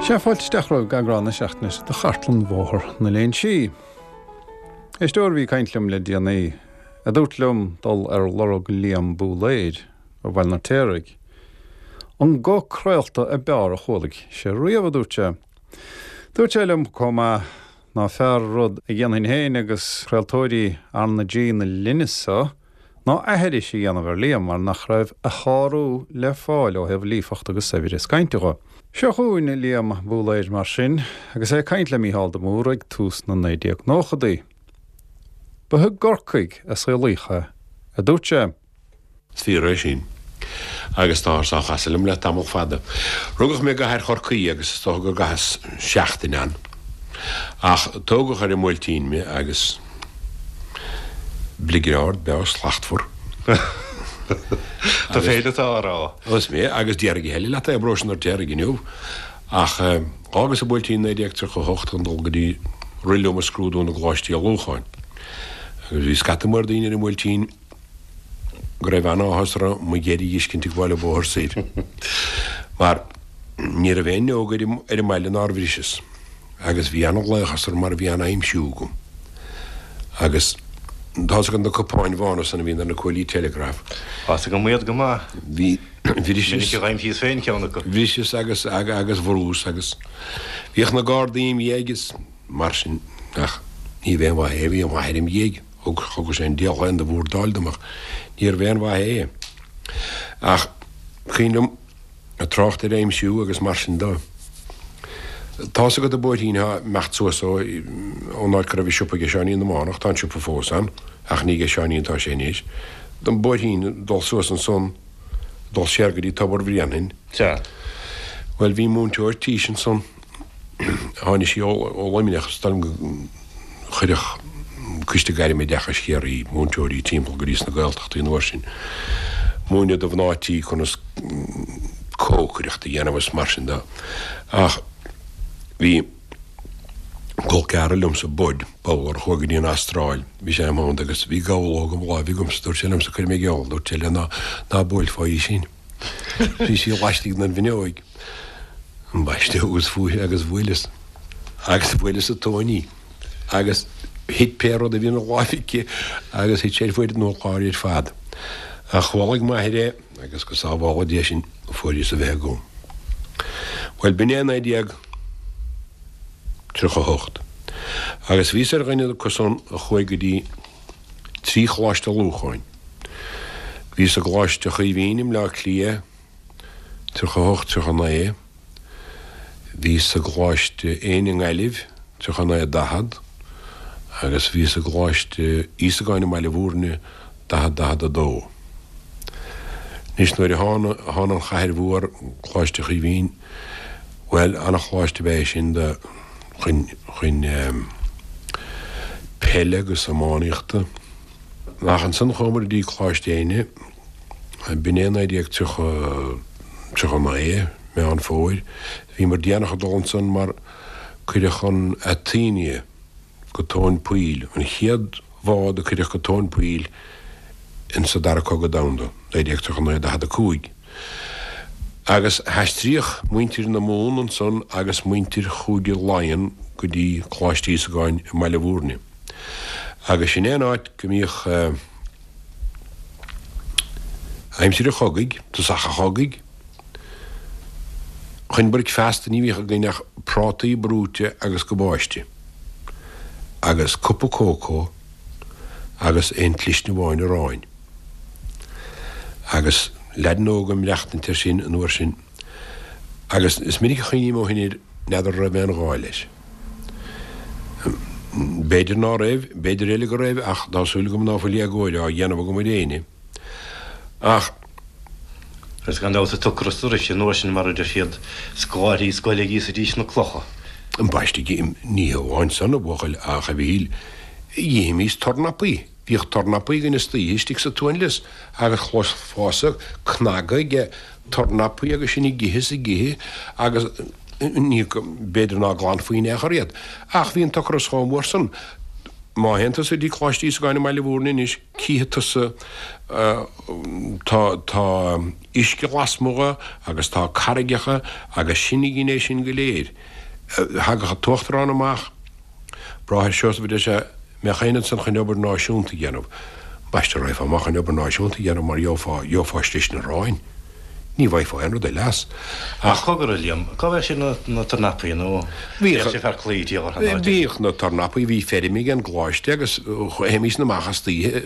Sea, fáilte isteach romhaibh go eagrán na seachtaine seo de Chartlann Bhóthar na Léinsí. Éisteoir a bhí ag caint liom le déanaí, a dúirt liom dul ar lorg Liam Búlaeir ó Bhaile an Fheirtéaraigh. An guth craolta ab fhearr a chualaigh sé riamh, a dúirt sé. Dúirt sé liom chomh maith ná fearr rud a dhéanfainn féin agus craoltóirí R na G na linne so ná aithris a dhéanamh ar Liam mar nach raibh a shárú le fáil ó thaobh líofacht agus saibhreas cainte dho. Seo chugainn Liam Búlaeir mar sin agus é ag caint le Mícheál de Mórdha ag tús na 1990idí. Ba i gCorcaigh a saolaíodh é, a dúirt sé. Is fíor é sin. Agus táthar á chasadh liom le tamall fada. Rugadh mé i gcathair Chorcaí agus is dócha go gcaitheas seachtain ann. Ach tógadh ar an mBuailtín mé agus bligeard ard breá slachtmhar. Tú féin atá á rá. Is mé, agus déarfaidh a thuilleadh leat é, i bparóiste an Fheirtéaraigh inniu. Ach d'fhágas an Buailtín i 1938 chun dul go dtí rith liom a scrúdú na gColáistí Ullmhúcháin. Agus bhí scata mór daoine ar an mBuailtín go raibh an-áthas orthu mo dheireadh a dh'fheiscint ag gabháil an bóthar soir. Mar ní raibh aon fhuinneog ar an mbaile nár bhriseas. Agus bhí an-laochas orm mar bhí an-aimsiú agam. Agus tá's agat na cupáin bhána san a bhíonn ar na cuaillí teileagraif. Tá's agam iad go maith. Bhí, bhriseas. Minic a dh'aimsíos féin ceann acu. Bhriseas agus, agus bhrús agus bhíodh na Gardaí im dhiaidh is mar sin ach níorbh aon mhaith é, bhí a mháthair im dhiaidh. Thug, thugadh sé an diabhal féin de bhurdáil dom ach níorbh aon mhaith é. Ach cuimhin liom ag trácht ar aimsiú agus mar sin de. Tá's agat an bóithrín atá ag imeacht suas ó, ón áit go raibh an siopa ag Seáinín na Mánach, tá an siopa fós ann ach ní ag Seáinín atá sé anois, an bóithrín ag dul suas ansan, ag dul siar go dtí Tobar Bhréanainn. Sea. Bhuel bhí múinteoir tís ansan. Tháinig sí ó Luimneach, is dóigh liom go chuireadh Coiste Gairm-Oideachais Chiarraí múinteoirí timpeall go dtí sna Gaeltachtaí an uair sin, múineadh do mhná tí conas cócaireacht a dhéanamh is mar sin de. Ach bhí col ceathrar liomsa, Bud, Bowler, a chuaigh go dtí an Astráil, bhí sé im theannta agus bhí gabhlóg im láimh agamsa, dúirt sé liomsa, cuirfidh mé geall, dúirt sé le ná ná buailfeá í sin. Bhí sí laistigh den bhfuinneoig. Ambaiste agus fuair agus bhuaileas agus bhuaileas i dtóin í agus thit pé rud a bhí ina láimh aici agus thit sé ar fuaid an urláir ar fad. Ach chualaigh m'athair é agus go sábhála Dia sinn fuaireas a bheith agam. Bhuel, b'in é 1938 agus bhíos ar dhuine acu san a chuaigh go dtí 3 choláiste ullmhúcháin. Bhíos i gColáiste Chaoimhín i mBleá Cliath, 38, 39. Bhíos i gColáiste Éinde i nGaillimh, 39, 40, agus bhíos i gColáiste Íosagáin i mBaile Bhúirne, 40, 42. Anois nuair a thána an chathair mhór, Coláiste Chaoimhín, bhuel, ana-choláiste ab ea é sin do, chun, chun peile agus iománaíochta. Ach ansan chuamar go dtí Coláiste Éinne, b'in é 1930, 39, Meán Fómhair. Bhíomar déanach ag dul ansan mar cuireadh an Athenia go tóin poill, an chéad bhád a cuireadh go tóin poill insa Dara Cogadh Domhanda, 1939, 45. Agus haistríodh muintir na Mumhan ansan agus muintir Chúige Laighean go dtí Coláiste Íosagáin i mBaile Bhúirne. Agus sin é an áit go mbíodh aimsir an chogaidh, tosach an chogaidh, chun bricfeasta ní bhíodh againn ach prátaí brúite agus gabáiste agus cupa cócó agus aon tslisne amháin aráin. Agus leaideanna óga ag maireachtaint air sin an uair sin agus is minic a chuimhním ó shin air, n'fheadar an raibh aon ghá leis. B'fhéidir ná raibh, b'fhéidir eile go raibh ach tá súil agam ná fuil éagóir á dhéanamh agam ar éinne. Ach. Agus gan dabht an t-ocras a rith an uair sin mar a deir siad, scoláirí scoile ag íosaidís na clocha. Ambaiste, ní hamháin san, a bhuachaill, ach a Mhichíl, dh'ithimís tornapaí. Bhíodh tornapaí againn istoíche istigh sa tsuanlios agus chloisfeása cnagadh ag tornapaí agus sinn ag ithe is ag ithe agus ní, b'fhéidir ná glanfaí in aon chor iad. Ach bhí an t-ocras chomh mór san. Má théann tusa go dtí Coláiste Íosagáin i mBaile Mhúirne anois, cífidh tusa, tá, tá uisce lasmuigh dhe agus tá carraigeacha agus sin a dhein é sin go léir. Thagadh an t-uachtarán amach, Bráthair Seosamh a deir sé, mbeadh éinne ansan chun obair náisiúnta a dhéanamh. Ambaiste raghfá amach chun obair náisiúnta a dhéanamh mar gheofá, gheofá slis an aráin. Ní bhfaighfeá aon rud eile as. Ach cogar, a Liam, cá bhfaigheadh sibh na tornapaí nó bhíodh sibh thar claí tír an áit? Bhíodh na tornapaí, bhí feirm ag an gcoláiste agus théimís amach istoíche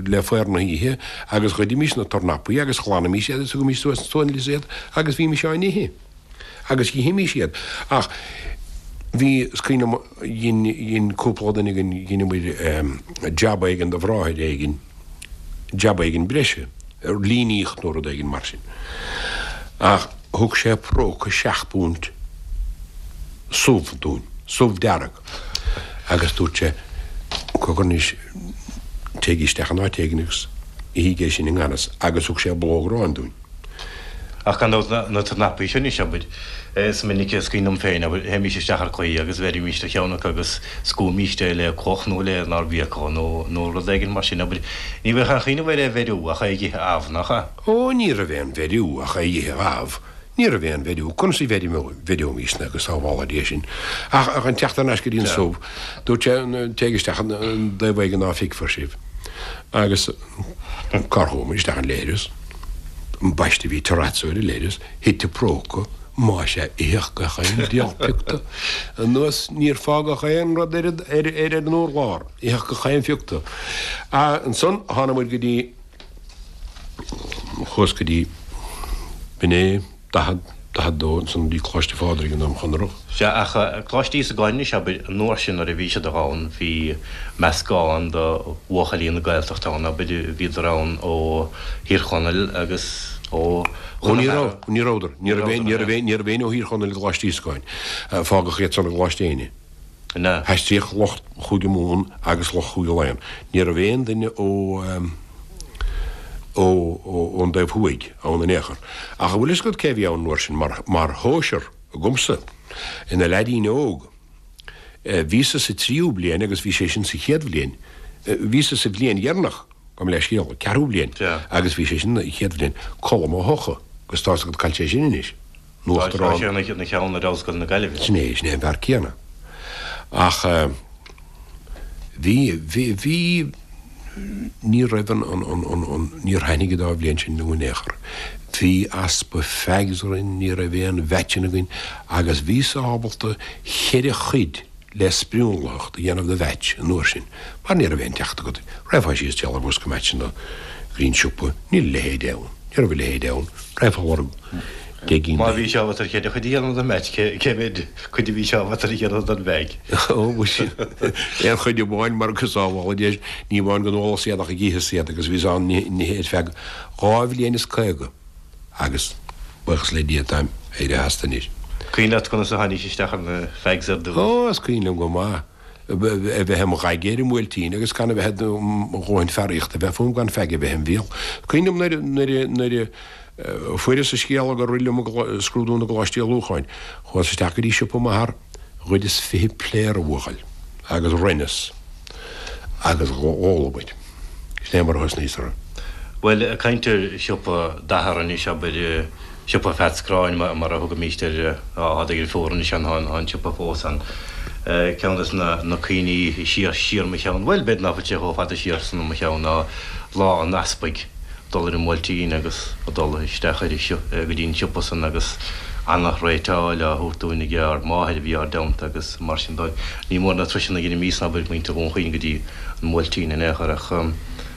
le faobhar na hoíche agus ghoidimís na tornapaí agus ghlanaimis iad agus thugaimis suas san lios iad agus bhímis á n-ithe. Agus dh'ithimís iad. Ach bhí, is cuimhin liom, dhein, dhein cúpla duine againn, dheineamair jab éigin do bhráthair éigin, jab éigin breise, líníocht nó rud éigin mar sin. Ach thug sé próca seacht bpunt subh dúinn, subh dearg, agus dúirt sé, cogar anois, téigí isteach in áit éigin agus ithígí é sin i ngan fhios, agus thug sé blóg aráin dúinn. Ach gan dabht na tornapaí sin anois, abair, is minic is cuimhin liom féin, abair, théimís isteach ar claí agus bheirimíst ar cheann acu agus scuabfaimíst é le cloch nó le inár bhfiacail nó nó rud éigin mar sin, abair. Ní bheadh aon chuimhneamh air é a bheiriú ach é a dh'ithe amh, nach ea? Ó, ní raibh aon bheiriú ach é a dh'ithe amh. Ní raibh aon bheiriú. Conas a bheireoimísne go sábhála Dia sinn? Ach chun teacht thar n-ais go dtí an subh, dúirt sé, téigh isteach an dtaobh éigin ná feicfear sibh. Agus. Cár chuamar isteach an leithreas? Ambaiste bhí terrazzo ar an leithreas, thit an próca, más ea itheadh gach aon diabhal pioc de. Anuas níor fágadh aon rud ar ar an urlár, itheadh gach aon phioc de. Ansan thána muid go dtí, chuas go dtí, b'in é, 40, 42, ansan go dtí Coláiste Phádraig i nDroim Chonrach. Sea, ach Coláiste Íosagáin anois, abair, an uair sin nuair a bhí siad ann, bhí meascán de bhuachaillí na Gaeltachta ann, abair, bhíodar ann ó Thír Chonaill agus ó Ó ní raibh, ní rabhadar, ní raibh aon, ní raibh aon, ní raibh éinne ó Thír Chonaill i gColáiste Íosagáin. Fágadh iad san i gColáiste Éinne. Ina. Haistríodh lucht Chúige Mumhan agus lucht Chúige Laighean. Ní raibh aon duine ó ó ón dtaobh thuaidh ann in aon chor. Ach an bhfuil fhios agat cé a bhí ann an uair sin mar mar shóisear agamsa, ina leaidín óg. Bhíosa sa tríú bliain agus bhí sé sin sa chéad bhliain. Bhíosa sa bhliain dheireanach, gabh mo leithscéal, ceathrú bliain, agus bhí sé sin sa chéad bhliain. Colm Ó hEocha, agus tá's agat cá bhfuil sé sin anois. Tá Uachtarán. sé ina cheann ar Ollscoil na Gaillimhe. Sin é, sin é an fear céanna. Ach bhí, bhí, bhí, ní raibh an, an, an, an, an, níor thaitnigh an dá bhliain sin liom in aon chor. Bhí easpa fags orainn, ní raibh aon mheaitseanna againn agus bhíos ábalta cheithre chuid le sprionlaitheacht a dhéanamh de mheaits an uair sin, mar ní raibh aon teacht agat. Raghfá síos ag lorg bosca meaitseanna go dtí an siopa, níl a leithéid ann, ní raibh a leithéid ann, raghfá ag lorg deich gcinn Má bhí sé ábalta ar cheithre chuid a dhéanamh den mheaits, cé mhéad cuid a bhí sé ábalta a dhéanamh den bhfeaig? Ó, muise, aon chuid amháin mar go sábhála Dia, ní amháin go n-ólas iad ach ag itheas iad agus bhíos á n-ithe ar feadh dhá bhliain is 50. Agus, buíochas le Dia, táim éirithe astu anois. Cuimhin leat conas a tháinís isteach ar na fags ar dtús? Ó, is cuimhin liom go maith. A bheith im ghaige ar an mBuailtín agus gan a bheith i mo dhóthain fearaíochta a bheith fúm gan feaig a bheith im bhéal. Cuimhin liom nuair, nuair, nuair a fuaireas an scéala gur rith liom i scrúdú na gColáistí Ullmhúcháin. Chuas isteach go dtí siopa m'athar, ghoideas 20 pléar, a bhuachaill, agus roinneas agus dh'ólamair. Sin é mar a thosnaíos orthu. Bhuel, ag caint ar shiopa d'athar anois, abair, siopa Pheaits Gráin mar a thugaimíst air, tá deirfiúr anois ann, tá an siopa fós ann. Ceann des na cuimhní siar, siar mo cheann, bhuel, b'fhéidir ná fuil sé chomh fada siar san i mo cheann ná Lá an Easpaig, dul ar an mBuailtín agus dul isteach ar go dtí an siopa san agus ana-thréatáil á thabhairt dúinn ag ár máthair a bhí ár dteannta agus mar sin de. Ní mór na turasanna a dheinimísne, abair, muintir Dhún Chaoin go dtí an mBuailtín in aon chor ach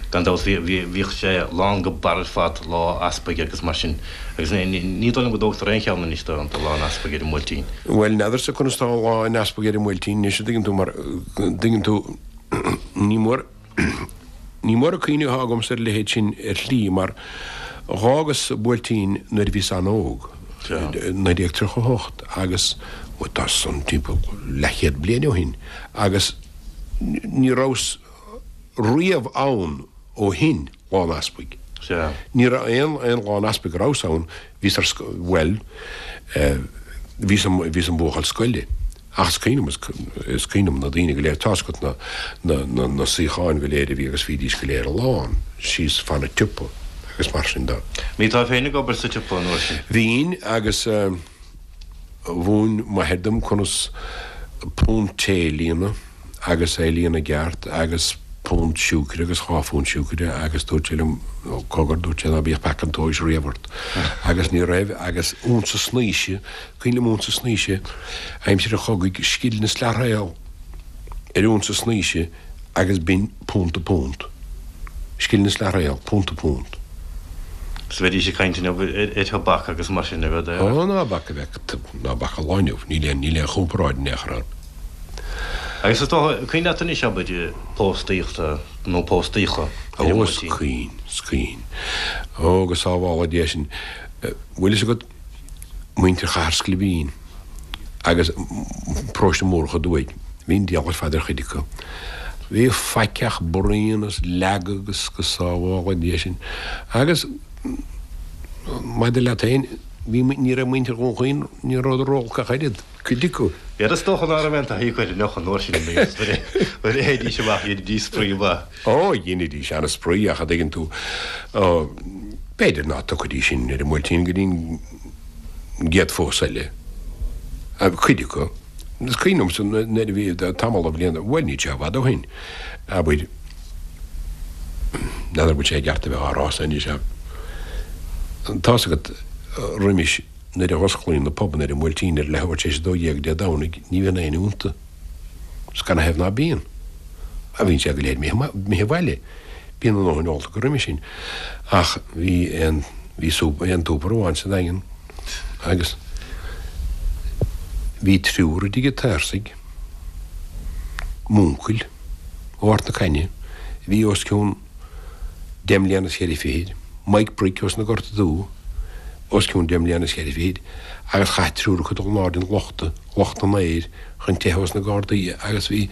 gan dabht bhíodh sé lán go barr ar fad Lá Easpaig agus mar sin agus ní dóigh liom go dtógtar aon cheann anois de Lá an Easpaig ar an mBuailtín. Bhuel, n'fheadarsa conas tá Lá an Easpaig ar an mBuailtín anois, an dtuigeann tú, mar, dtuigeann tú, ní mór. Ní mór an cuimhne atá agamsa ar a leithéid sin ar shlí mar dh'fhágas an Buailtín nuair a bhíos an-óg, 1938, agus bhuel tá san timpeall leathchéad bliain ó shin, agus ní rabhas riamh ann ó shin, Lá an Easpaig. Ní raibh aon aon Lá an Easpaig a rabhas ann, bhíos ar scoil, bhuel, bhíos im bhuachaill scoile. Ach is cuimhin liom, is cuimhin liom na daoine go léir, tá's agat na, na, na, na suíocháin go léir a bhí agus bhídís go léir lán síos fan an tsiopa agus mar sin de. Bhí tú féin ag obair sa tsiopa an uair sin? Bhínn agus eh, mhúin m'athair dom conas punt tae a líonadh agus é a líonadh i gceart agus punt siúcra agus dhá phunt siúcra agus dúirt sé liom, cogar, dúirt sé ná bíodh peaca an tomhais riamh ort agus ní raibh agus unsa snaoise, cuimhin liom unsa snaoise aimsir an chogaidh, scilling is leathréal ar unsa snaoise agus b'in punta punt. Scilling is leathréal, punta punt. Is bheidís ag caint inniu ar thobac agus mar sin a bheadh. Ó, ná bac a bheadh, ná bac an lá inniu, níl aon, níl aon chomparáid in aon chor ann. Agus is dócha, cuimhin leat anois, abair, póstaíochta nó póstaíocha ar an Ó, is cuimhin, is cuimhin. Ó, go sábhála Dia sinn. Bhfuil fhios agat, muintir Chathair Scliobín agus Paróiste Mórdha aduaidh, bhí an diabhal ar fad ar chuid acu. Bhí faic ach braon is leagadh agus go sábhála Dia sinn. Agus maidir leat féin, bhí, ní raibh muintir Dhún Chaoin, ní rabhadar ró-olc ach oiread, cuid acu. B'fhéidir is dócha ná raibh aon taithí acu ar an deoch an uair sin nuair a théidís amach dheinidís spraoi mhaith. Ó, dheinidís ana-spraoi ach a' dtuigeann tú, ó, b'fhéidir ná tiocfaidís sin ar an mBuailtín go dtí an gcéad phósadh eile, cuid acu. Is cuimhin liomsa nuair a bhí tamall de bhlianta, bhuel níl sé i bhfad ó shin, abair, n'fheadar an bhfuil sé i gceart a bheith á rá san anois ach tá's agat roimis nuair a dh'osclaíonn na pubanna ar an mBuailtín ar leathuair tar éis 12 Dé Domhnaigh ní bhíonn éinne iontu. Is canathaobh ná bíonn? A bhíonn siad go léir imithe abhaile. Bíonn a ndóthain ólta acu roimhe sin. Ach bhí aon, bhí súp, aon tsúpar amháin sa Daingean agus bhí triúr i dtigh an tSaorsaigh, m'uncail ó Ard na Caithne, a bhí os cionn deich mbliana is cheithre fichid, Mike Brick ós na Gorta Dubha, os cionn deich mbliana is cheithre fichid, agus chaith triúr acu dul in airde an lochta, locht an aeir, chun teitheadh ós na Gardaí agus bhí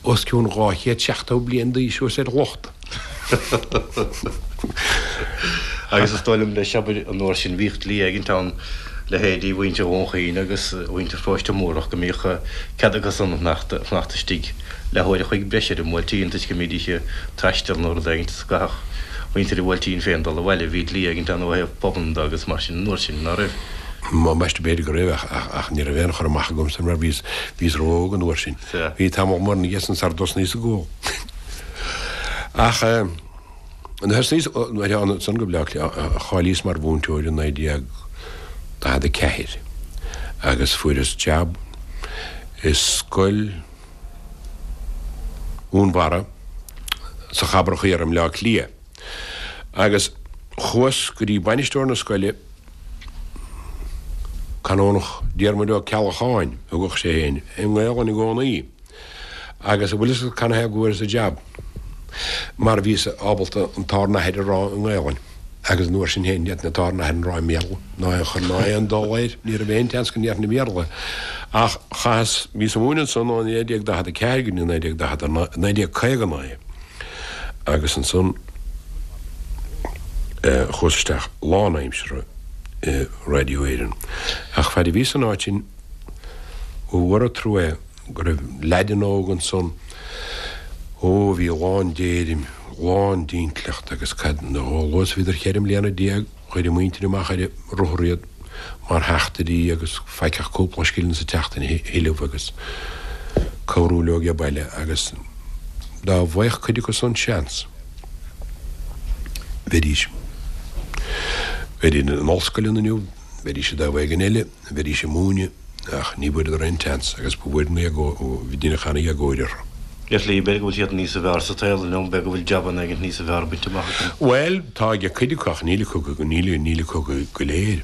os cionn 270 bliain d'aois suas ar an lochta. Agus is dóigh liom leis, abair, an uair sin bhíodh dlí éigint ann, leithéidí mhuintir Dhún Chaoin agus mhuintir Pharóiste Mórdhach go mbíodh cead acusan fanacht istigh leathuair a chloig breise ar an mBuailtín toisc go mbídís ag taisteal nó rud éigint is go gcaithfeadh muintir an Bhuailtín féin dul abhaile. Bhí dlí éigint ann ó thaobh pubanna de agus mar sin an uair sin, ná raibh? M'ambaiste b'fhéidir go raibh ach ní raibh aon chur amach agamsa mar bhíos, bhíos ró-óg an uair sin. Bhí tamall mór ina dhiaidh san sar dtosnaíos ag ól. Ach nuair a thosnaíos, nuair a ansan go Bleá Cliath, cháilíos mar mhúinteoir i 1944 agus fuaireas jab i scoil Dhúnbharra sa Chabrach Thiar i mBleá Cliath agus chuas go dtí bainisteoir na scoile, Canónach Diarmuid Ó Ceallacháin, a thugadh sé féin, i nGaolainn i gcónaí. Agus an bhfuil fhios agat canathaobh go bhfuaireas an jab? Mar bhíos ábalta an tÁr nAthair a rá i nGaolainn. Agus an uair sin féin, ní fhéadfainn an tÁr nAthair a rá i mBéarla, ná aon chor, ná aon dul air, ní raibh aon tseans go ndéarfainn i mBéarla é. Ach chaitheas, bhíos ag múineadh ansan ó 1944 go dtí 1949, 1959. Agus ansan chuas isteach lánaimseartha i Radio Éireann. Ach faid a bhíos san áit sin, ba mhór an trua é go raibh leaideanna óga ansan, ó, a bhí lán d'éirim, lán d'intleacht agus cad, chomh luath is a bhíodar cheithre mbliana Chuir a muintir amach ar rothar iad mar theachtairí agus faic ach cúpla scilling sa tseachtain a thuilleamh agus cabhrú leo age baile agus dá bhfaigheadh cuid acu san seans bheidís bheidís in ollscoileanna inniu, bheidís i dtaobh éigin eile, bheidís ag múineadh. Ach ní bhfuaireadar aon tseans agus ba mhór an éagóir, deineadh an-éagóir orthu. Ar shlí, b'fhéidir go bhfuil siad níosa bhfearr sa tsaol inniu, b'fhéidir go bhfuil jabanna éigint níosa bhfearr bainte amach acu. Bhuel, tá ag cuid acu ach níl acu, níl, níl acu go léir.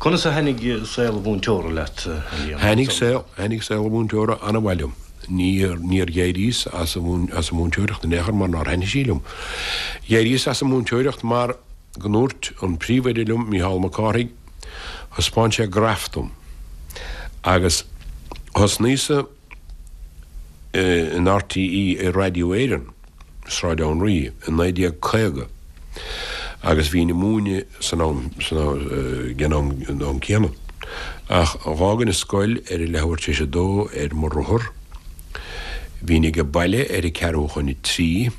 Conas a thaitnigh saol an mhúinteora leat, a Liam? Thaitnigh saol, thaitnigh saol an mhúinteora an-mhaith liom. Níor, níor dh'éiríos as an, as an múinteoireacht in aon chor mar nár thaitnigh sí liom. Dh'éiríos as an múinteoireacht mar go ndúirt an príomhoide liom, Mícheál Mac Cárthaigh, Thaispeáin sé graf dom agus thosnaíos-sa in RTÉ i Raidió Éireann, Sráid Anraí, i 1950 agus bhínn ag múineadh san am, san am, ag an am céanna. Ach dh'fhágainn an scoil ar a leathuair tar éis a dó ar mo rothar. Bhínn age baile ar a ceathrú chun a trí.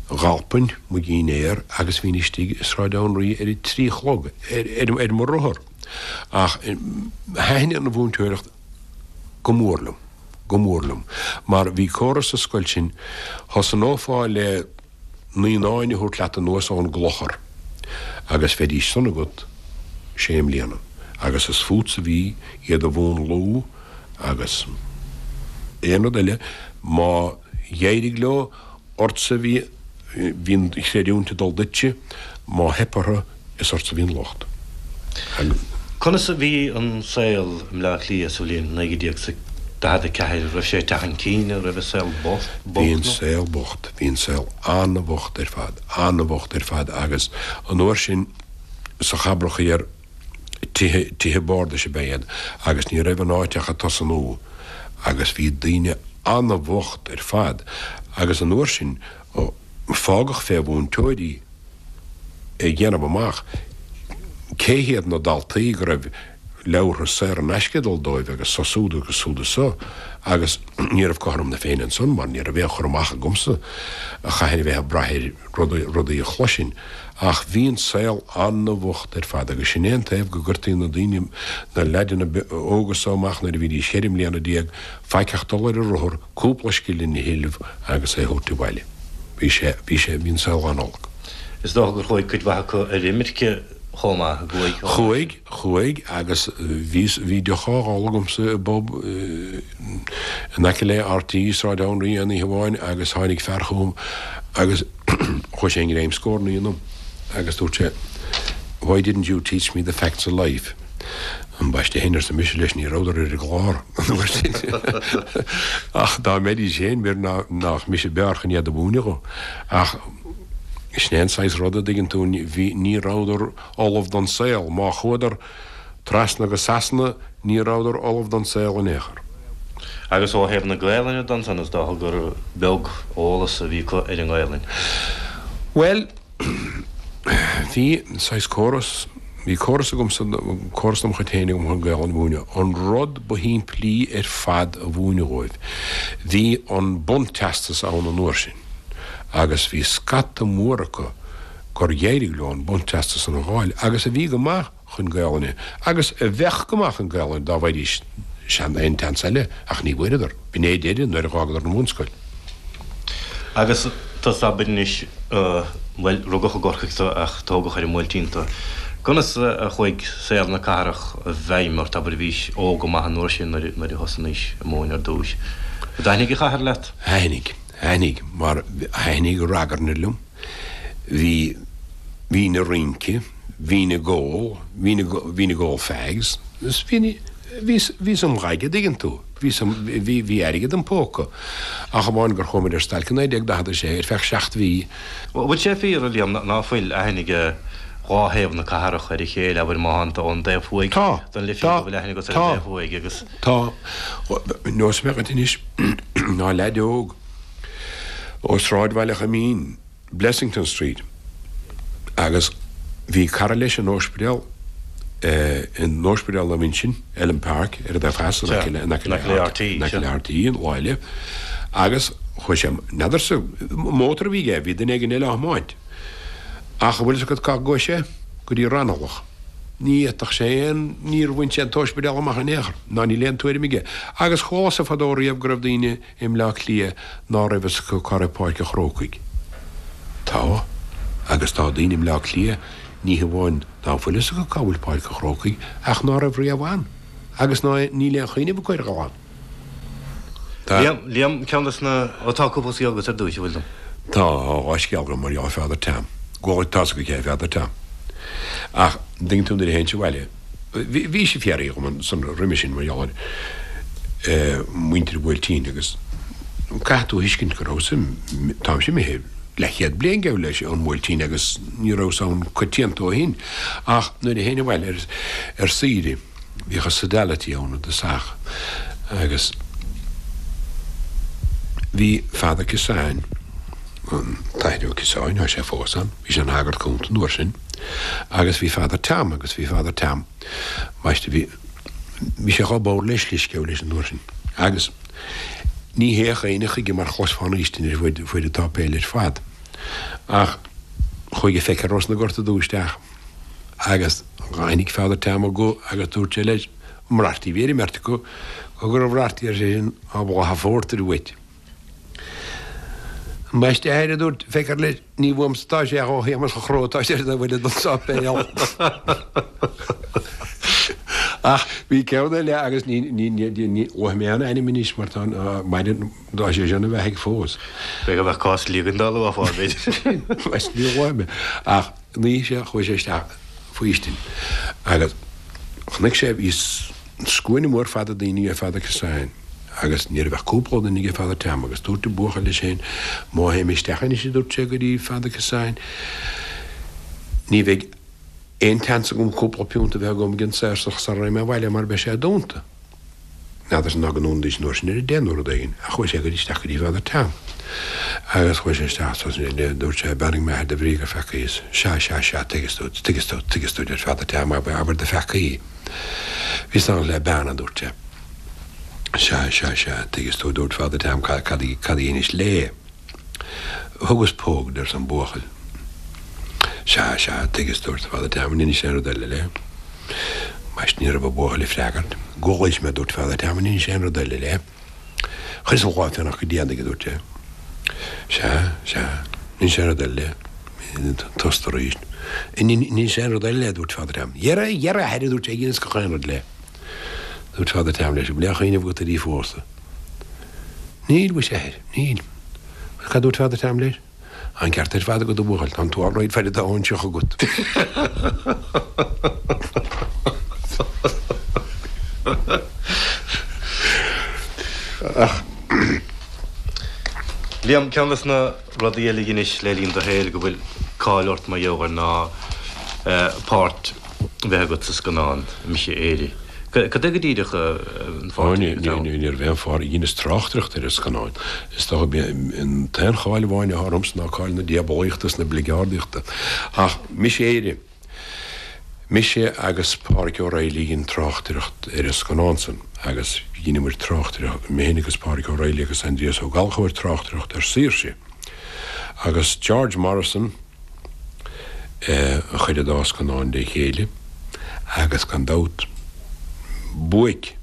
Dh'alpainn mo dhinnéar agus bhínn istigh i Sráid Anraí ar a trí a chlog ar mo rothar. Ach thaitnigh an mhúinteoireacht go mór liom, go mór liom. Mar bhí córas sa scoil sin, thosnófá le naíonáin a thabhairt leat anuas ón gclochar agus bheidís san agat sé mbliana agus is fútsa a bhí iad a mhúnlú agus aon rud eile, má d'éirigh leo, ortsa a bhí, bhí an chreidiúint ag dul duitse, má theip orthu, is ortsa a bhí an locht. Conas a bhí an saol i mBleá Cliath sa bhliain 1944? An raibh sé ag teacht chun cinn? An raibh an saol bocht nó? Bhí an saol bocht. Bhí an saol an-bhocht ar fad, an-bhocht ar fad agus an uair sin sa Chabrach Thiar, tithe, tithe bardais ab ea iad agus ní raibh an áit ach ag tosnú agus bhí daoine an-bhocht ar fad agus an uair sin fágadh fé mhúinteoirí a dhéanamh amach cé hiad na daltaí go raibh leabhartha saor in aisce ag dul dóibh agus so súd agus súd is so agus ní raibh cothrom na Féinne ansan mar ní raibh aon chur amach agamsa chaithfinn a bheith ag brath ar rudaí a chloisinn ach bhí an saol an-bhocht ar fad agus sin é an taobh go gcuirtí na daoine, na leaideanna óga so amach nuair a bhídís cheithre mbliana déag, faic ach dul ar an rothar, cúpla scillin a thuilleamh agus é a thabhairt abhaile. Bhí sé, bhí sé, bhí an saol an-olc. Is dócha gur chuaigh cuid mhaith acu ar imirce chomh maith, an gcuaigh? Chuaigh. Chuaigh agus bhí bhí deoch á ól agamsa i bpub in aice le RTÉ, Sráid Anraí aon oíche amháin agus tháinig fear chugam agus chuaigh sé i ngreim scornaí ionam agus dúirt sé Why didn't you teach me the facts of life? Ambaiste féin, arsa mise leis, ní rabhadar ar an gclár an uair sin. Ach dá mbeidís féin, b'fhéidir nach mise b'fhearr chun iad a mhúineadh dhó. Ach sin é an saghas ruda, an dtuigeann tú, bhí, ní rabhadar ullamh don saol. Má chuadar trasna go Sasana ní rabhadar ullamh don saol in aon chor. Agus ó thaobh na Gaelainne de ansan is dócha gur beag eolas a bhí acu ar an nGaelainn. Bhuel, bhí saghas córas, bhí córas agamsa, córas dom chuid féin agam chun Gaelainn a mhúineadh. An rud ba shimplí ar fad a mhúineadh dhóibh. Bhí an bunteastas ann an uair sin agus bhí scata mór acu gur éirigh leo an bunteastas san a dh'fháil agus a bhí go maith chun Gaelainne agus a bheadh go maith chun Gaelainne dá bhfaighidís aon tseans eile ach ní bhfuaireadar. B'in é deireadh nuair a dh'fhágadar an bhunscoil. Agus tusa abair anois, bhuel, rugadh i gCorcaigh tu ach tógadh ar an mBuailtín tu. Conas a chuaigh saol na cathrach i bhfeidhm ort, abair, bhís óg go maith an uair sin nuair a thosnaís ag múineadh ar dtúis. An dtaitnigh an chathair leat? Thaitnigh. Thaitnigh, mar thaitnigh ragairne liom. Bhí, bhínn ag rince, bhínn ag ól, bhínn ag, bhínn ag ól fags, is bhínn, bhíos, bhíos im dhaid, a' dtuigeann tú, bhíos im, bhí, bhí airgead im póca. Ach amháin gur chuaigh muid ar stailc i 1946 ar feadh seacht mhí. Bhfuil sé fíor, a Liam, ná fuil aithne ag dhá thaobh na cathrach ar a chéile, abair má thánn tú ón dtaobh thuaidh Tá, den Life tá, go bhfuil aithne agat ar an tá, dtaobh thuaidh agus. tá. Neosfaidh mé dhuit anois ná leaid óg ó sráidbhaile Choimín, Blessington Street, agus bhí cara leis in ospidéal, in ospidéal Naomh Uinseann, Elm Park, ar an dtaobh theas, in aice le, in aice le RTÉ, in aice le RTÉ, an lá eile, agus chuaigh sé, n'fheadarsa, mótar a bhí aige, bhí duine éigin eile á thiomáint. Ach an bhfuil fhios agat cá gcuaigh sé? Go dtí Raghnallach. Ní fhéadfadh sé aon, níor bhain sé an t-ospidéal amach in aon chor, ná níl aon tuairim aige. Agus chualasa fadó riamh go raibh daoine i mBleá Cliath ná raibh fhios acu cá raibh Páirc an Chrócaigh. Tá. Agus tá daoine i mBleá Cliath, ní hamháin ná fuil fhios acu cá bhfuil Páirc an Chrócaigh, ach ná raibh riamh ann, agus ná níl aon chuimhneamh acu ar dhul ann. Tá. Liam, Liam, ceann des na, ó tá cúpla scéal agat ar dtúis, an bhfuil? Tá, dhá scéal agam mar gheall ar Father Tom. Bhuel, tá's agat cé hé Father Tom. Ach, an dtuigeann tú nuair a théinnse abhaile, Bhí sé fiafraí dhom ansan roimhe sin mar gheall ar mhuintir an Bhuailtín agus caithfidh tú a thuiscint go rabhas, táimse imithe leathchéad bliain geall leis ón mBuailtín agus ní rabhas ann coitianta ó shin ach nuair a théinn abhaile ar saoire bhíodh an sodality ann i dtosach agus bhí Father Kissane, an tAthair Ó Ciosáin, tá sé fós ann, bhí sé ina shagart cúnta an uair sin. Agus bhí Father Tom agus bhí Father Tom, ambaiste, bhí. Bhí sé chomh bodhar le slisceabh leis an uair sin. Agus ní théadh éinne chuige mar chloisfeá an fhaoistin air fuaid an tsáipéil ar fad. Ach chuaigh an feictheoir ós na Gorta Dubha isteach agus dh'aithnigh Father Tom a guth agus dúirt sé leis, An raibh bhí ar an mbeirt acu go raibh raifti ar seisean, tá boladh an phórtair uait. Ambaiste a athair, a dúirt feictheoir leis, ní uaimse atá sé ach ó Shéamus a' Chró atá sé ar bhuille don sáipéal. Ach bhí ceann eile agus ní luafaidh mé an ainm anois mar tá maireann tá sé sin ina bheathaidh fós. B'fhéidir go mbeadh cás ligean dá luafá, b'fhéidir. Ní luafaidh mé. Ach an oíche seo chuaigh sé isteach faoistin agus chonaic sé, bhí scuaine mhór fada daoine ag Father Kissane agus ní raibh ach cúpla duine ag Father Tom agus dúirt an buachaill leis féin, má théim isteach anois a dúirt sé go dtí Father Kissane, ní bheidh aon tseans agam cúpla piúnt a bheith agam ag an saorsach sara raghaidh mé abhaile mar beidh sé dúnta. N'fheadarsa ná go ndúnfaidís an uair sin ar a deich nó rud éigin, ach chuaigh sé go isteach go dtí Father Tom. Agus chuaigh sé isteach is dúirt sé, Beannaigh mé a athair de bhrí gur pheacaíos. Sea, sea, sea, tuigeas duit, tuigeas duit, tuigeas duit, ar Father Tom, abair, abair do pheacaí. Bhíos ann le bean, a dúirt sé. Sea, sea, sea, tuigeas duit, dúirt Father Tom, cad, cad, cad a dheinis léi? Thugas póg di, arsa an buachaill. Sea, sea, tuigeas, dúirt Father Tom, an inis aon rud eile léi? Ambaiste ní raibh an buachaill ag freagairt. Ghoid mé, dúirt Father Tom, an inis aon rud eile léi? Chuireas an lámh fé nach go déanach, a dúirt sé. Sea, sea, an inis aon rud eile léi? Tost arís. An inis aon rud eile léi, a dúirt Father Tom. Dhera, dhera, a athair, a dúirt sé, dheineas gach aon rud léi. Dúirt Father Tom leis, an bhfuil aon chuimhneamh agat uirthi fós? Níl, mhuise, a athair, níl. Agus cad dúirt Father Tom leis? Tá an ceart ar fad agat, a bhuachaill, tá an t-all right faid atá óinseach agat. Ach. Liam, ceann des na rudaí eile a dheinis le linn do shaoil go bhfuil cáil ort mar gheall air ná páirt a bheith agat sa scannán Mise Éire. Cad é go díreach an pháirt a bhí agat ann? Ní raibh aon pháirt, dheineas tráchtaireacht ar an scannán. Is dócha an t-aon cháil amháin atá ormsa ná cáil na diabalaíochta is na bligeardaíochta. Ach Mise Éire, mise agus Pádhraic O'Reilly a dhein tráchtaireacht ar an scannán san agus dheineamair tráchtaireacht, mé féin agus Pádhraic O'Reilly agus Aindrias Ó Gallchóir tráchtaireacht ar Saoirse agus George Morrison, a chuir an dá scannán le chéile agus gan dabht buaic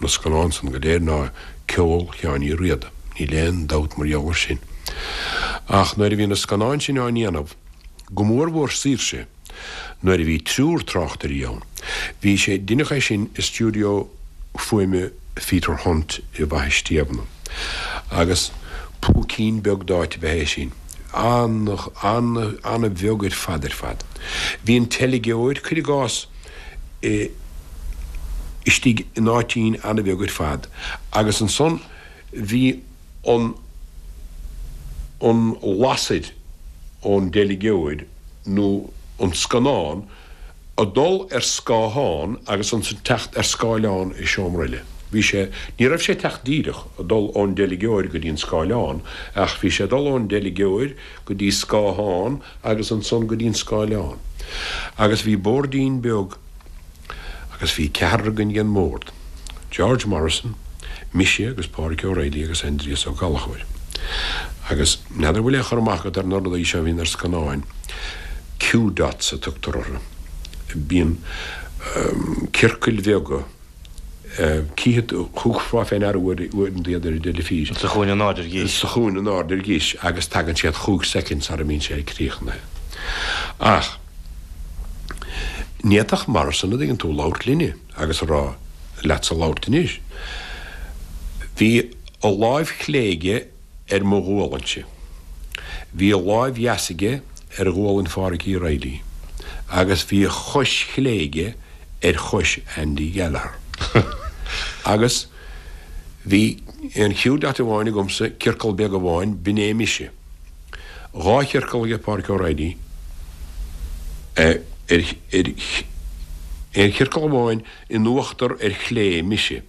na scannán san go léir ná ceol Sheáin Uí Riada, níl aon dabht mar gheall ar sin. Ach nuair a bhí na scannáin sin á ndéanamh, go mór mhór Saoirse, nuair a bhí triúr tráchtairí ann, bhí sé, deineadh é sin i stiúideo fuaime Pheter Hunt i bhFaiche Stiabhna agus púicín beag d'áit ab ea é sin. An-an-an-bheag ar fad ar fad. Bhí an teilgeoir, cuir i gcás, istigh in áitín an-bheag ar fad agus ansan bhí an an lasair ón dteilgeoir nó an scannán ag dul ar scáthán agus ansan teacht ar scáileán i seomra eile. Bhí sé, ní raibh sé ag teacht díreach, ag dul ón dteilgeoir go dtí an scáileán, ach bhí sé ag dul ón dteilgeoir go dtí scáthán agus ansan go dtí an scáileán. Agus bhí boirdín beag agus bhí ceathrar againn ag an mbord, George Morrison, mise agus Pádhraic O'Reilly agus Aindrias Ó Gallchóir. Agus n'fheadar bhfuil aon chur amach agat ar na rudaí seo a bhíonn ar scannáin, cue dots a tugtar orthu. Bíonn ciorcail bheaga, cífidh tú, thiúrfá fé ndeara uaireanta iad ar an dteilifís. Sa chúinne in airde ar dheis. Sa chúinne in airde ar dheis agus tagann siad chúig soicind sara mbíonn sé críochnaithe. Ach ní fhéadfadh Morrison, a dtuigeann tú, labhairt linne agus a rá leatsa labhairt anois. Bhí a láimh chlé aige ar mo ghualainnse. Bhí a láimh dheas aige ar ghualainn Phádhraic Uí Raghallaigh agus bhí a chois chlé aige ar chois Andy Gallagher. Agus bhí aon cue dot amháin agamsa, ciorcal beag amháin, b'in é mise. Dhá chiorcal aige Pádhraic O'Reilly, ar, ar, aon chiorcal amháin in uachtar ar chlé, mise.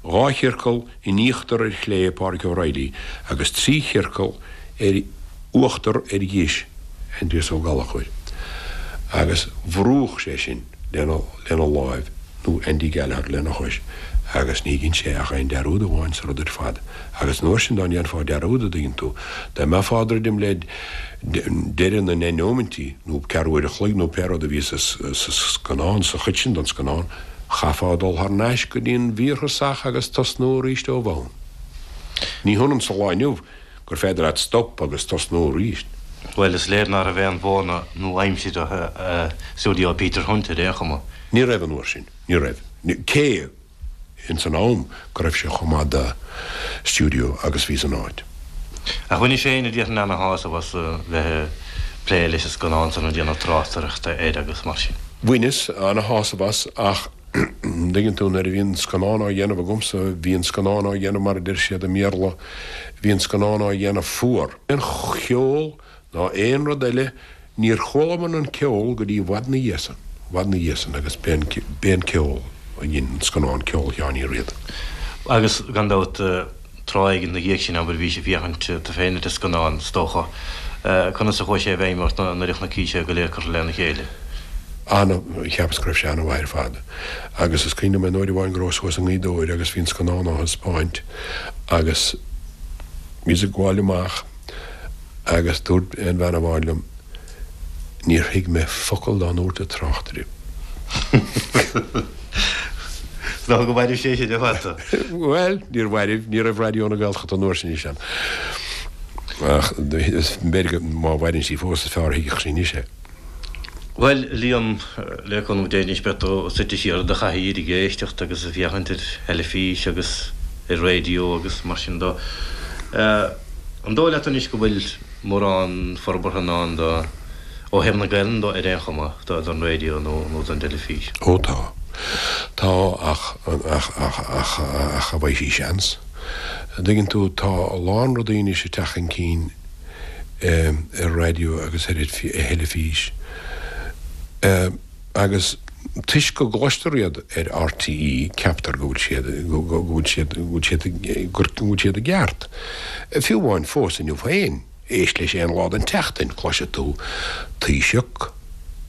Dhá chiorcal in íochtar ar chlé, Pádhraic O'Reilly, agus trí chiorcal ar uachtar ar dheis, Aindrias Ó Gallchóir. Agus bhrúdh sé sinn lena, lena láimh. nó Andy Gallagher lena chois, agus ní dhein sé ach aon dearúd amháin sa rud ar fad. Agus an uair sin dá ndéanfá dearúd, a dtuigeann tú, dá mbeifeá ag druidim le deireadh na ndeich nóimintí, nó ceathrú uair a chloig, nó pé rud a bhí sa scannán, sa chuid sin den scannán, chaithfeá dul thar n-ais go dtí an mhír thosach agus tosnú arís ó bhonn. Ní hionann sa lá inniu gur féidir leat stop agus tosnú arís. Bhuel, is léir ná raibh aon mhodhanna nua-aimseartha i stiúideo Peter Hunt ar aon chuma. Ní raibh an uair sin. Ní raibh. Cé ins an am go raibh sé chomh maith de stiúideo agus bhí san áit. Ach bhainis féin a déarfainn ana-shásamh as a bheith ag plé leis an scannán san ag déanamh tráchtaireachta air agus mar sin. Bhaineas ana-shásamh as ach an dtuigeann tú nuair a bhí an scannán á dhéanamh agamsa bhí an scannán á dhéanamh mar a deir siad i mBéarla bhí an scannán á dhéanamh fuar. Aon cheol ná aon rud eile, níor chualamar an ceol go dtí i bhfad 'na dhiaidh san, i bhfad 'na dhiaidh san agus b'é an, b'é an ceol a dhein an scannán, ceol Sheáin Uí Riada. Agus gan dabht, tráth éigin 'na dhiaidh sin, abair, bhís ag féachaint tú féin ar an scannán, is dócha. Conas a chuaigh sé i bhfeidhm ort nuair a chonaic sé go léir curtha lena chéile? Ana, cheapas go raibh sé ana-mhaith ar fad. Agus is cuimhin liom aon uair amháin go rabhas thuas i nGaoth Dobhair agus bhí an scannán á thaispeáint agus bhíos ag gabháil amach, Agus dúirt aon bhean amháin liom, Níor thuig mé focal dá ndúirt an tráchtaire. Is dócha gur mhairbh sé sin ar fad tú. Bhuel, níor mhairbh, ní raibh Raidió na Gaeltachta an uair sin is ann. Ach b'fhéidir go, má mhaireann sí fós, is fearr a thuigfeadh sí anois é. Bhuel, Liam, le cúnamh Dé anois beidh tú suite siar i do chathaoir ag éisteacht agus ag féachaint ar theilifís agus ar raidió agus mar sin de. An dóigh leat anois go bhfuil mórán forbartha i ndán do, ó thaobh na Gaelainne de ar aon chuma, don raidió nó don dteilifís? Ó tá. Tá ach, ach, ach, ach, ach an bhfaighidh sí seans? An dtuigeann tú, tá a lán rudaí anois ag teacht chun cinn ar raidió agus ar theilifís agus toisc go gcloistear iad ar RTÉ ceaptar go bhfuil siad, go bhfuil siad, go bhfuil siad, go bhfuil siad i gceart. Fiú amháin fós inniu féin, éist leis aon lá den tseachtain, cloisfidh tú Taoiseach,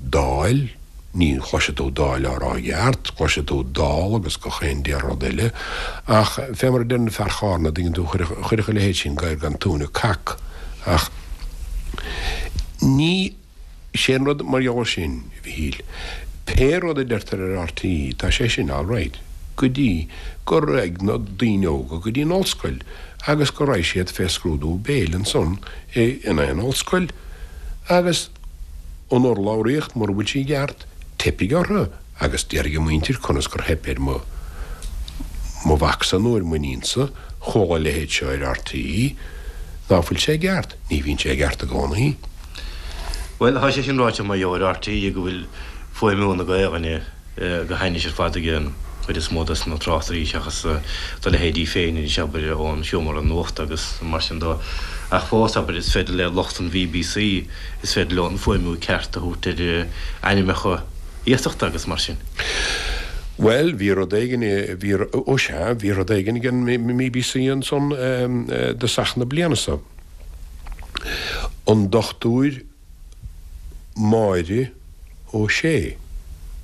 Dáil, Ní chloisfidh tú Dáil á rá i gceart, cloisfidh tú Dál agus gach aon rud eile, ach fé mar a deireann fear Chárna, an dtuigeann tú, chuirfeadh a leithéid sin gadhar gan tóin ag cac, ach ní, sé an rud mar gheall air sin, a Mhichíl, pé rud a deirtear ar RTÉ, tá sé sin alright, go dtí go raghaidh na daoine óga go dtí an ollscoil agus go raghaidh siad fé scrúdú béil ansan in aon ollscoil agus. An urlabhraíocht, mura bhfuil sí i gceart, teipfidh orthu agus déarfaidh a muintir conas gur theip ar mo mo mhacsa nó ar m'iníonsa, chuala a leithéid seo ar RTÉ. Ná fuil sé i gceart? Ní bhíonn sé i gceart i gcónaí. Bhuel, tá sé sin ráite mar gheall ar RTÉ go bhfuil fuaimniú na Gaelainne go hainnis ar fad ag an chuid is mó des na tráchtairí seachas do leithéidí féin anois, abair, ón seomra nuachta agus mar sin de. Ach fós, abair, is féidir le lucht an BBC, is féidir leo an fuaimniú ceart a thabhairt ar ainmneacha iasachta agus mar sin. Bhuel, bhí rud éigin, bhí, ó sea, bhí rud éigin ag an mBBC ansan i dtosach na bliana seo. An Dochtúir Máire Ó Sé,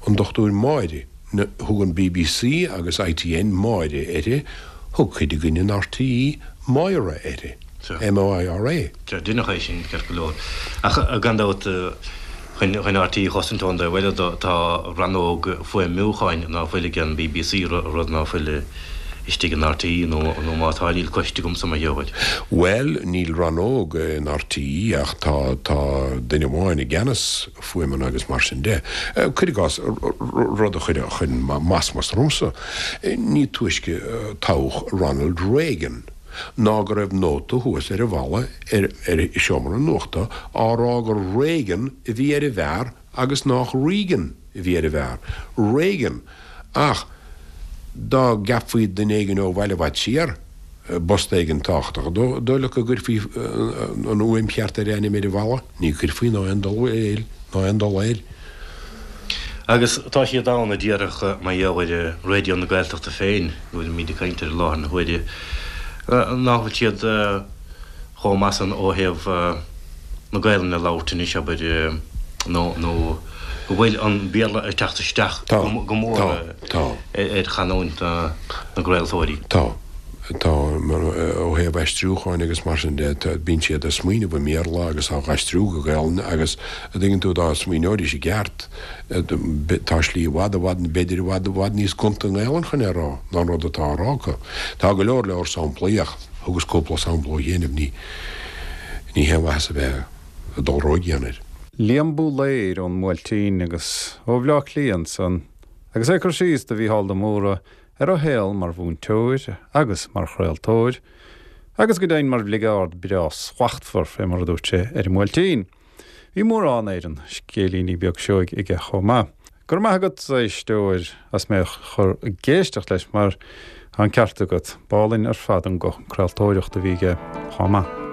an Dochtúir Máire, thug an bbc agus ITN Máire uirthi, thug cuid againn in RTÉ Moira uirthi, M-O-I-R-A. Sea, deineadh é sin, ceart go leor. Ach gan dabht, chun RTÉ a chosaint ón dtaobh eile de, tá rannóg fuaimniúcháin ná fuil ag an bbc, rud ná fuil istigh in RTÉ, nó má tá, níl cloiste agamsa mar gheall air. Bhuel, níl rannóg in RTÉ ach tá, tá duine amháin i gceannas fuaimeanna agus mar sin de. Cuir i gcás, rud a chuir, a chuir masmas ormsa, ní túisce toghadh Ronald Reagan ná go raibh nóta thuas ar an bhalla ar, ar sheomra an nuachta á rá gur Reagan a bhí ar an bhfear agus nách Regan a bhí ar an bhfear. Reagan! Ach dá gceapfaí duine éigin ó bhaile i bhfad siar i bpost éigin tábhachtach, dóigh leat go gcuirfí an fhuaim cheart ar a ainm ar an bhalla? Ní chuirfí ná aon dul air, ná aon dul air. Agus tá siad ann a déarfadh mar gheall ar Raidió na Gaeltachta féin, go bhfuilimid ag caint air i láthair na huaire, nach bhfuil siad chomh maith san ó thaobh na Gaelainne a labhairt anois, abair. nó nó go bhfuil an Béarla ag teacht isteach go mór ar chanúint na gcraoltóirí. Tá. Tá. Ó thaobh aistriúcháin agus mar sin de, bíonn siad ag smaoineamh i mBéarla agus á aistriú go Gaelainn agus, a dtuigeann tú, dá smaoineoidís i gceart, tá slí i bhfad, i bhfad, b'fhéidir i bhfad, i bhfad níos gonta i nGaelainn chun é a rá ná an rud atá á rá acu. Tá go leor leor samplaí ach thugas cúpla sampla ó chianaibh, ní ní haon mhaitheas a bheith ag dul ródhian air. Liam Búlaeir ón mBuailtín agus ó Bhleá Cliath ansan agus é ag cur síos do Mhícheál de Mórdha ar a shaol mar mhúinteoir agus mar chraoltóir agus go deimhin mar bhligeárd breá slachtmhar, fé mar a dúirt sé, ar an mBuailtín. Bhí mórán Éireann scéilíní beag seoigh aige chomh maith. Go raibh maith agat, a éisteoir, as mé a chur ag éisteacht leis mar tá an ceart agat, b'álainn ar fad an guth craoltóireachta a bhí aige chomh maith.